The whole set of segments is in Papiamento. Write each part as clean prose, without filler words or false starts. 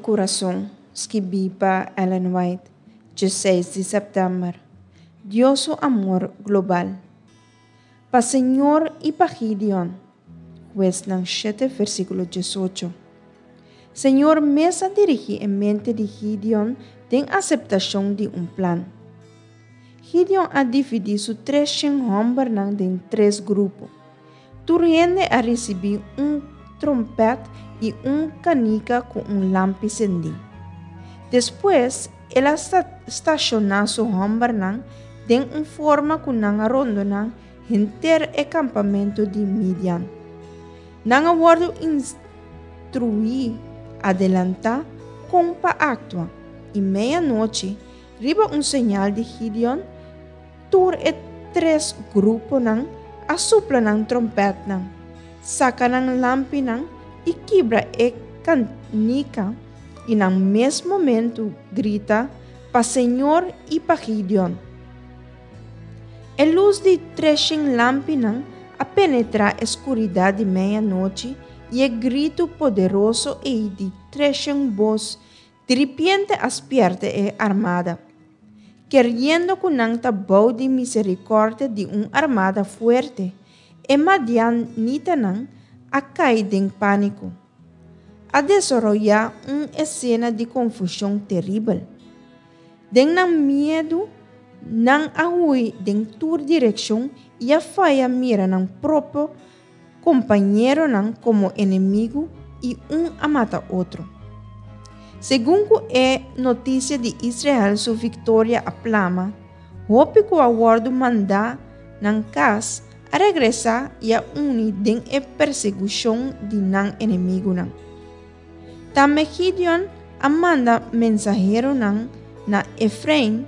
kurason, skibí pa Ellen White, 16 di sèptèmber. Dios su amor global. Pa Señor i pa Gideon. Huesnan 7, versíkulo 18. Señor mes a dirigí e mente di Gideon den aseptashon di un plan. Gideon a dividí su 300 hòmbernan den tres grupo. Tur hende a risibí un tròmpèt i un kanika ku un lampi sendí. Despues, el a stashoná su hòmbernan den un forma ku nan a rondoná henter e kampamentu di Midian. Nan a wòrdu instruí adelantá kon pa aktua, i meianochi, riba un señal di Gideon, Tur e tres gruponan a supla nan trompètnan, saka nan lampinan i kibra e kanika i nan mes momentu grita pa Señor i pa Gideon. E lus di treshen lampinan a penetrá e skuridat di meianochi i e gritu poderoso ei di treshen bos Diripiente a spièrta e armada. Keriendo ku nan ta bou di miserikòrdia di un armada fuerte, e madianitanan a kai den pániko. A desaroyá un esena di konfushon teribel. Den nan miedu, nan a hui den tur direkshon i a faya mira nan propio kompañeronan komo enemigu i un a mata otro. Segun ku e notisia di Israel su viktoria a plama, hopi ku a wòrdu mandá nan kas a regresá i a uni den e persekushon di nan enemigunan. Tambe Gideon a manda mensaheronan na Efrain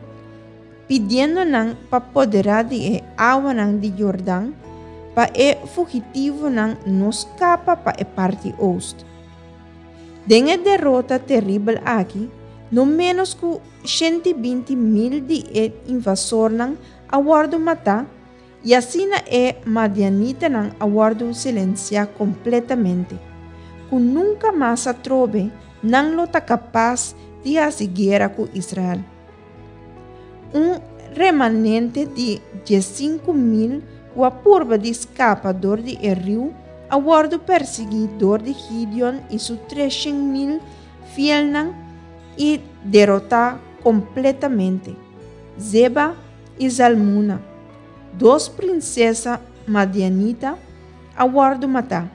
pidiendo nan pa poderá di e awanan di Jordan pa e fugitivonan no skapa pa e parti oost. Den e derota teribel aki, no ménos ku 120.000 di e invasornan a wòrdu matá i asina e madianitanan a wòrdu silensiá kompletamente, ku nunka mas atrobe nan lo ta kapas di hasi guera ku Israel. Un remanente di 15.000 ku a purba di skapa dor di e riu a wòrdu persiguí dor di Gideon i su 300.000 fielnan i derotá kompletamente. Zeba i Zalmuna, dos prinsesa madianita, a wòrdu matá.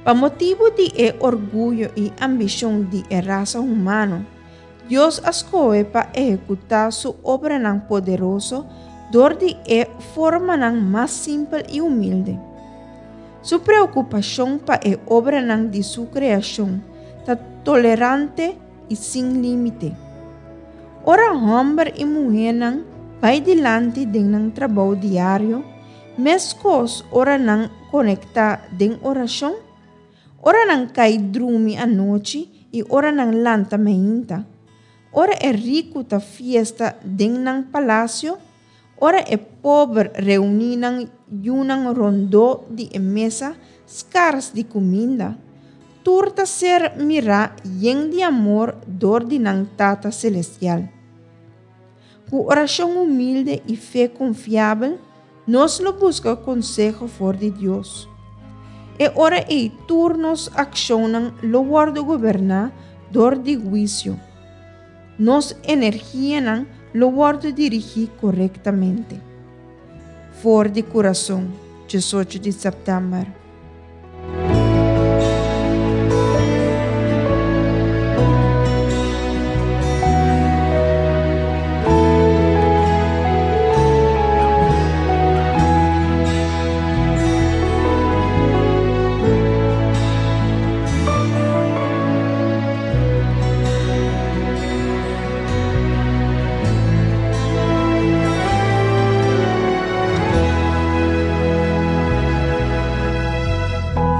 Pa motibu di e orguyo i ambishon di e rasa humano, Dios a skohe pa ehekutá su obranan poderoso dor di e formanan mas simpel i humilde. Su preokupashon pa e obranan di su kreashon ta tolerante i sin límite. Ora hòmber i muhénan bai dilanti den nan trabou diario, meskos ora nan konektá den orashon, ora nan kai drumi anochi i ora nan lanta meinta, ora e riku ta fiesta den nan palasio, ora e pober reuní nan yunan rondó di e mesa skars di kuminda, tur ta ser mirá yen di amor dor di nan Tata Selestial. Ku orashon humilde i fe konfiabel, nos lo buska konseho for di Dios. E ora ei tur nos akshonnan lo wòrdu goberná dor di huisio. Nos energianan lo wòrdu dirigí korektamente. For di kurason, 18 di sèptèmber.